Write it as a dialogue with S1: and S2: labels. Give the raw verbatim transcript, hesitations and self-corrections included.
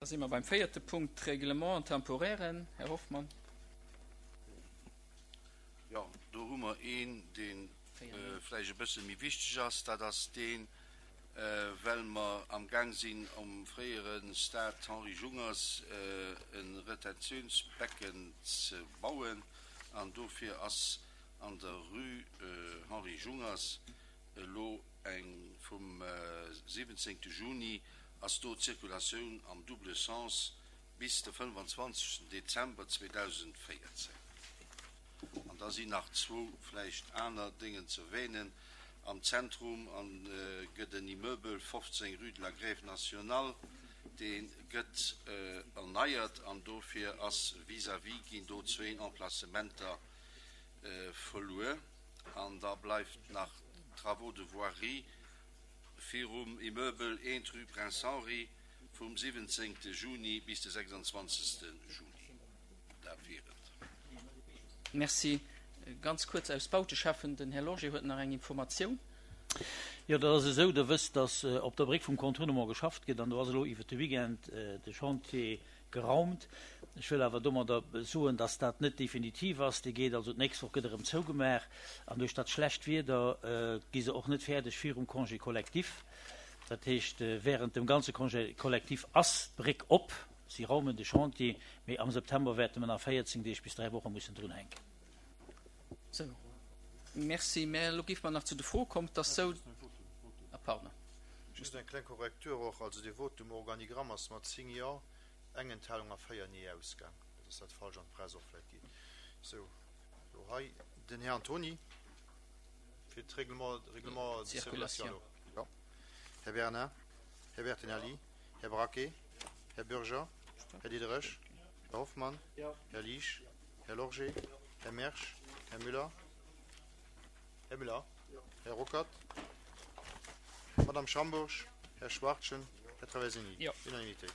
S1: Da si mer beim véierte Punkt, d'Règlements temporairen. Här Hoffmann.
S2: Jo, do hu mer een, dee vläicht e bësse méi wichteg ass. Dat ass deen, well mer amgaang sinn, am fréiere Stade Henri Jungers e Retentiounsbecken ze bauen. An dofir ass an der Rue Henri Jungers elo eng, vum siwwenzéngte Juni ass do d'Circulatioun am double sens bis de fënnefanzwanzegsten Dezember zweedausendvéierzéng. An da sinn nach zwou vläicht aner Déngen ze erwähnen. Am Zentrum gëtt en Immeuble, fofzéng rue de la Grève nationale, dee gëtt erneiert an dofir ass vis-à-vis ginn do zwéin Emplacementer verluer. An da bleift nach d'Travaux de voirie virum Immeuble eent rue Prince Henri vum siwwenzéngte Juni bis de sechsandzwanzegste Juli. Dat wier et.
S1: Merci. Ganz kuerz aus Bauteschäffen, den Här Lorgé huet nach eng Informatioun.
S3: Jo, dat ass esou, Der wësst, dass op der Bréck vum Contournement geschafft gëtt an do ass elo iwwert de Weekend de Chantier geraumt. Ech wëll awer domadder soen, dass dat net definitiv ass. Dee geet also d'nächst Woch gëtt erëm zougemaach an duerch dat schlecht Wieder gi se och net fäerdeg virum Congé collectif. Dat heescht, während dem ganze Congé collectif ass d'Bréck op. Si raumen de Chantier, mee am September wäerte mer nach véierzéng Deeg bis dräi Woche mussen drunhänken.
S1: Sou, merci. Mä elo géife mer nach zu de Froe kommen. Et ass sou, ah pardon.
S4: Just eng kleng Korrektur och, also dee Vote um Organigramm ass mat zéng Jo, eng Enthalung a véier Nee ausgaang. Net dass dat falsch an d'Press och vläit geet. Sou, elo hei den Här Antony fir d'Règlement, Règlement de circulation. Jo. Här Bernard, Här Bertinelli, Här Braquet, Här Bürger, Här Diderich, Här Hoffmann, Här Liesch, Här Lorgé, Här Mersch, Här Müller, Här Müller, Här Ruckert, Madame Schambourg, Här Schwachtgen, Här Traversini.
S1: Jo.
S4: Unanimité.